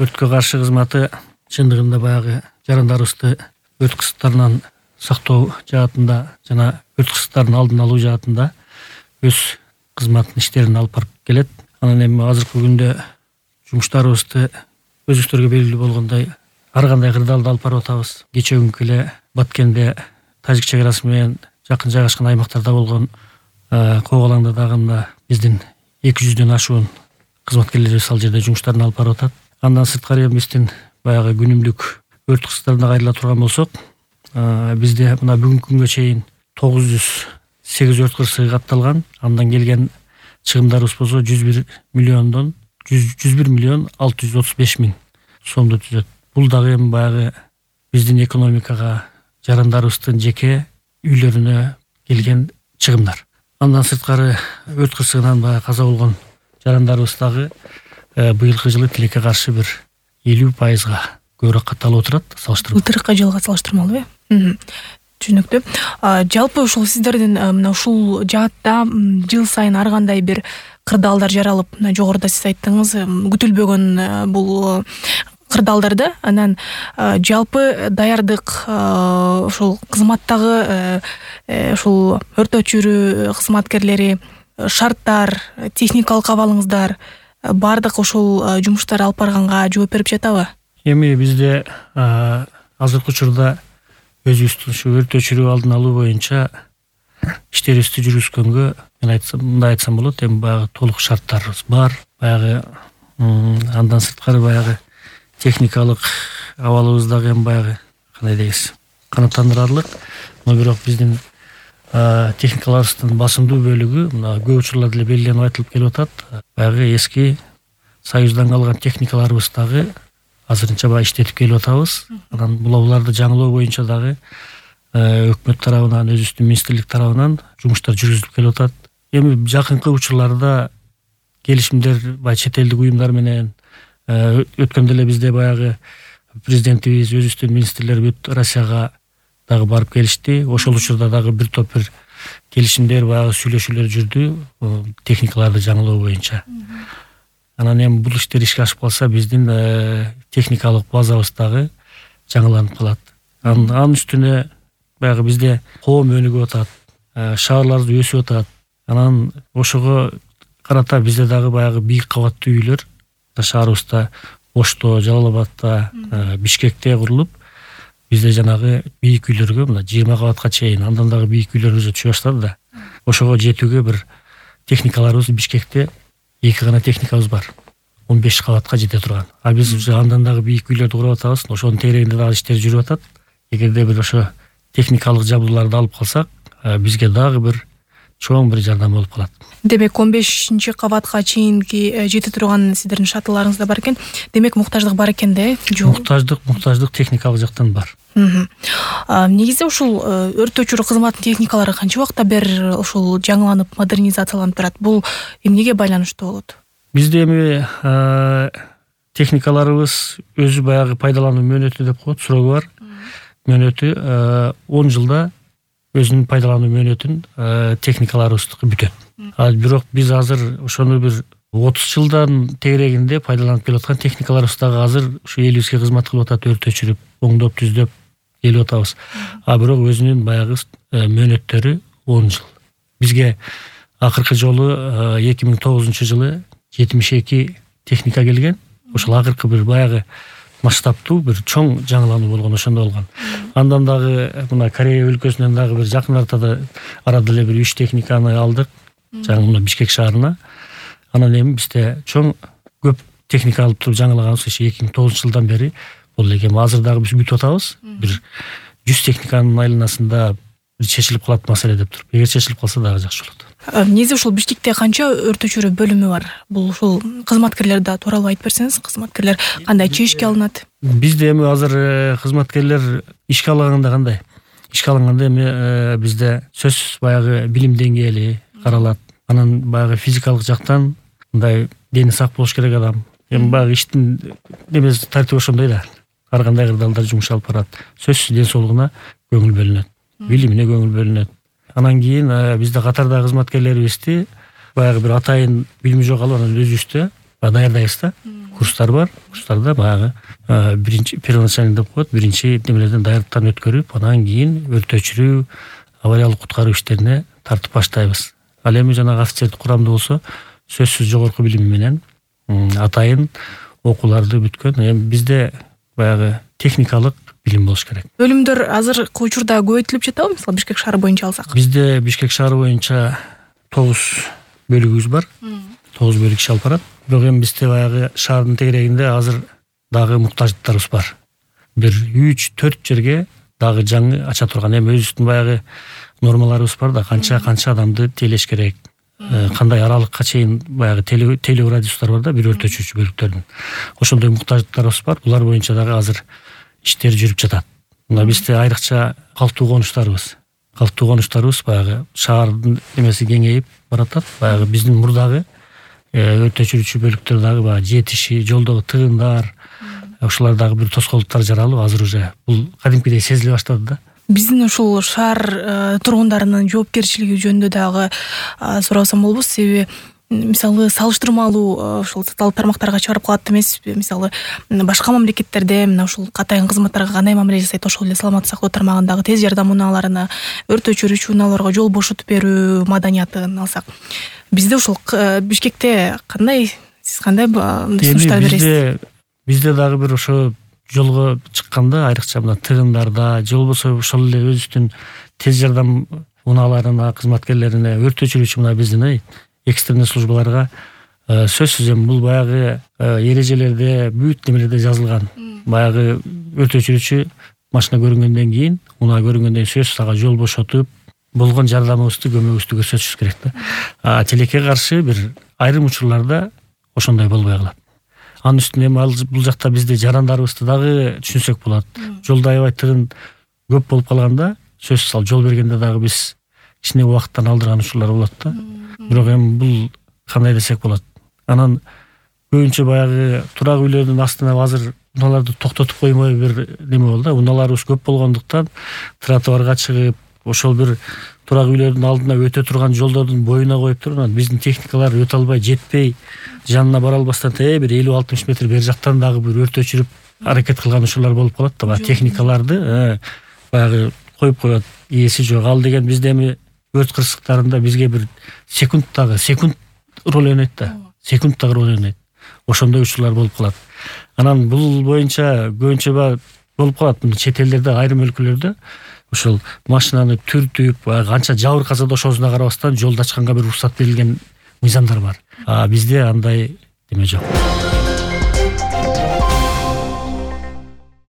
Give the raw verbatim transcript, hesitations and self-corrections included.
өрткө каршы кызматы чындыгында баягы жарандарыбызды өрт кысыктарынан сактоо жаатында жана өрт кысыктардын алдын алуу жаатында өз кызматтын иштерин алып барып келет. Анан эми азыркы күндө жумуштарыбызды өзүңүздөргө белгилүү болгондой ар кандай кырдаалда алып барып атабыз. Кечээ күнкү эле Баткенде Тажик чек арасы менен жакын жайгашкан аймактарда болгон Кок алаңда дагы мына биздин эки жүздөн ашуун кызматкерлерибиз ал жерде жумуштарын алып барып атат. Андан сырткары биздин баягы күнүмдүк өрт кысыктарына кайрыла турган болсок, бизде мына бүгүнкү күнгө чейин тогуз жүз сегиз өрт кырсыгы катталган. Андан келген чыгымдарыбыз болсо жүз бир миллиондон жүз бир миллион алты жүз отуз беш миң сомду түзөт. Бул дагы эми баягы биздин экономикага, жарандарыбыздын жеке үйлөрүнө келген чыгымдар. Андан сырткары өрт кырсыгынан баягы каза болгон жарандарыбыз дагы быйылкы жылы тилекке каршы бир элүү пайызга көбүрөөк катталып отурат салыштырмалуу. Былтыркы жылга салыштырмалуу э? Түшүнүктүү. Жалпы ушул сиздердин мына ушул жаатта жыл сайын ар кандай бир кырдаалдар жаралып, мына жогоруда сиз айттыңыз, күтүлбөгөн бул кырдаалдарды. Анан жалпы даярдык ушул кызматтагы ушул өрт өчүрүү кызматкерлери, шарттар, техникалык абалыңыздар бардык ушул жумуштар алып барганга жооп берип жатабы? Эми бизде азыркы учурда өзүбүздүн ушу өрт өчүрүү алдын алуу боюнча иштерибизди жүргүзгөнгө мен айтсам, мындай айтсам болот, эми баягы толук шарттарыбыз бар. Баягы андан сырткары баягы техникалык абалыбыз дагы эми баягы кандай дейбиз, канааттандырарлык. Но бирок биздин техникаларыбыздын басымдуу бөлүгү мына көп учурларда эле белгиленип айтылып келип атат. Баягы эски Союздан калган техникаларыбыз дагы азырынча баягы иштетип келип атабыз. Анан буларды жаңылоо боюнча дагы өкмөт тарабынан, өзүбүздүн министрлик тарабынан жумуштар жүргүзүлүп келип атат. Эми жакынкы учурларда келишимдер баягы чет элдик уюмдар менен өткөндө эле бизде баягы президентибиз, өзүбүздүн министрлер бүт Россияга дагы барып келишти. Ошол учурда дагы бир топ бир келишимдер, баягы сүйлөшүүлөр жүрдү техникаларды жаңылоо боюнча. Анан эми бул иштер ишке ашып калса, биздин техникалык базабыз дагы жаңыланып калат. Анын үстүнө баягы бизде коом өнүгүп атат, шаарларыбыз өсүп атат. Анан ошого карата бизде дагы баягы бийик кабаттуу үйлөр шаарыбызда, Ошто, Жалал Абадта, Бишкекте курулуп, бизде жанагы бийик үйлөргө мына жыйырма кабатка чейин, андан дагы бийик үйлөрүбүз түшө баштады да. Ошого жетүүгө бир техникаларыбыз Бишкекте эки гана техникабыз бар. он беш кабатка жете турган. А биз уже андан дагы бийик үйлөрдү куруп атабыз. Ошонун тегерегинде дагы иштер жүрүп атат. Эгерде бир ошо техникалык жабдууларды алып калсак, бизге дагы бир чоң бир жардам болуп калат. Демек он бешинчи кабатка чейинки жете турган сиздердин шаттыларыңыз да бар экен. Демек муктаждык бар экен да, э? Муктаждык, муктаждык техникалык жактан бар. Негизи ушул өрт өчүрүү кызматынын техникалары канча убакта бери ушул жаңыланып, модернизацияланып турат? Бул эмнеге байланыштуу болот? Бизде эми техникаларыбыз өзү баягы пайдалануу мөөнөтү деп коет, сурогу бар. Мөөнөтү он жылда өзүнүн пайдалануу мөөнөтүн техникаларыбыздыкы бүтөт. А бирок биз азыр ошону бир отуз жылдан тегерегинде пайдаланып келип аткан техникаларыбыз дагы азыр ушу элибизге кызмат кылып атат, өрт өчүрүп, оңдоп, түздөп келип атабыз. А бирок өзүнүн баягы мөөнөттөрү он жыл. Бизге акыркы жолу эки миң тогузунчу жылы жетимиш эки техника келген. Ошол акыркы бир баягы масштабтуу бир чоң жаңылануу болгон, ошондо болгон. Андан дагы мына Корея өлкөсүнөн дагы бир жакын артада арада эле бир үч техниканы алдык, жаңы мына Бишкек шаарына. Анан эми бизде чоң көп техника алып туруп жаңылаганыбыз эки миң тогузунчу жылдан бери болду экен. Азыр дагы биз бүтүп атабыз. Бир жүз техниканын айланасында чечилип калат маселе деп туруп. Эгер чечилип калса дагы жакшы болот. Негизи ушул Бишкекте канча өрт өчүрүү бөлүмү бар? Бул ушул кызматкерлерди тууралуу айтып берсеңиз, кызматкерлер кандай чечишке алынат? Бизде эми азыр кызматкерлер ишке алынганда кандай? Ишке алынганда эми бизде сөзсүз баягы билим деңгээли каралат. Анан баягы физикалык жактан мындай дени сак болуш керек адам. Эми баягы иштин немеси тартиби ошондой да. Ар кандай кырдаалда жумуш алып барат. Сөзсүз ден соолугуна көңүл бөлүнөт, билимине көңүл бөлүнөт. Анан кийин бизде катардагы кызматкерлерибизди баягы бир атайын билими жок алып, анан өзүбүздө даярдайбыз да. Курстар бар. Курстарда баягы биринчи первоначальный деп коет, биринчи немелерден даярдыктан өткөрүп, анан кийин өрт өчүрүү, авариялык куткаруу иштерине тартып баштайбыз. Ал эми жанагы офицердик курамда болсо сөзсүз жогорку билими менен атайын окууларды бүткөн. Эми бизде баягы техникалык билим болуш керек. Бөлүмдөр азыркы учурда көбөйтүлүп жатабы? Мисалы Бишкек шаары боюнча алсак. Бизде Бишкек шаары боюнча тогуз бөлүгүбүз бар. тогуз бөлүк иш алып барат. Бирок эми бизде баягы шаардын тегерегинде азыр дагы муктаждыктарыбыз бар. Бир үч төрт жерге дагы жаңы ача турган, эми өзүбүздүн баягы нормаларыбыз бар да, канча канча адамды тейлеш керек, кандай аралыкка чейин баягы тейлөө радиустар бар да, бир өрт өчүрүүчү бөлүктөрдүн. Ошондой муктаждыктарыбыз бар. Булар боюнча дагы азыр иштер жүрүп жатат. Мына бизде айрыкча калктуу конуштарыбыз. Калктуу конуштарыбыз баягы шаардын эмеси кеңейип баратат. Баягы биздин мурдагы өрт өчүрүүчү бөлүктөр дагы баягы жетиши, жолдогу тыгындар, ушулар дагы бир тоскоолдуктар жаралып, азыр уже бул кадимкидей сезиле баштады да. Биздин ушул шаар тургундарынын жоопкерчилиги жөнүндө дагы сурасам болобу? Себеби мисалы салыштырмалуу ушул социалдык тармактарга чыгарып калат эмеспи? Мисалы башка мамлекеттерде мына ушул катайын кызматтарга кандай мамиле жасайт, ошол эле саламаттык сактоо тармагындагы тез жардам унааларына, өрт өчүрүүчү унааларга жол бошотуп берүү маданиятын алсак, бизде ушул Бишкекте кандай, сиз кандай сунуштар бересиз? Бизде дагы бир ошо жолго чыкканда, айрыкча мына тыгындарда, же болбосо ошол эле өзүбүздүн тез жардам унааларына, кызматкерлерине, өрт өчүрүүчү мына биздин экстренный службаларга сөзсүз эми бул баягы эрежелерде, бүт немелерде жазылган. Баягы өрт өчүрүүчү машина көрүнгөндөн кийин, унаа көрүнгөндөн кийин сөзсүз ага жол бошотуп, болгон жардамыбызды, көмөгүбүздү көрсөтүшүбүз керек да. А тилекке каршы бир айрым учурларда ошондой болбой калат. Анын үстүнө эми бул жакта бизде жарандарыбызды дагы түшүнсөк болот. Жолдо аябай тыгын көп болуп калганда, сөзсүз ал жол бергенде дагы биз кичине убакыттан алдырган учурлар болот да. Бирок эми бул кандай десек болот. Анан көбүнчө баягы турак үйлөрдүн астына азыр унааларды токтотуп коймой бир неме болду да. Унааларыбыз көп болгондуктан тротуарга чыгып, ошол бир турак үйлөрдүн алдына өтө турган жолдордун боюна коюп туруп, анан биздин техникалар өтө албай, жетпей, жанына бара албастан э бир элүү алтымыш метр бери жактан дагы бир өрт өчүрүп аракет кылган учурлар болуп калат да. Баягы техникаларды баягы коюп коет, ээси жок. Ал деген бизде эми өрт кырсыктарында бизге бир секунттагы секунд роль ойнойт да. Секунттагы роль ойнойт. Ошондой учурлар болуп калат. Анан бул боюнча көбүнчө болуп калат. Чет элдерде, айрым өлкөлөрдө ошол машинаны түртүп, канча жабыркаса да ошосуна карабастан жолду ачканга бир уруксат берилген мыйзамдар бар. А бизде андай деме жок.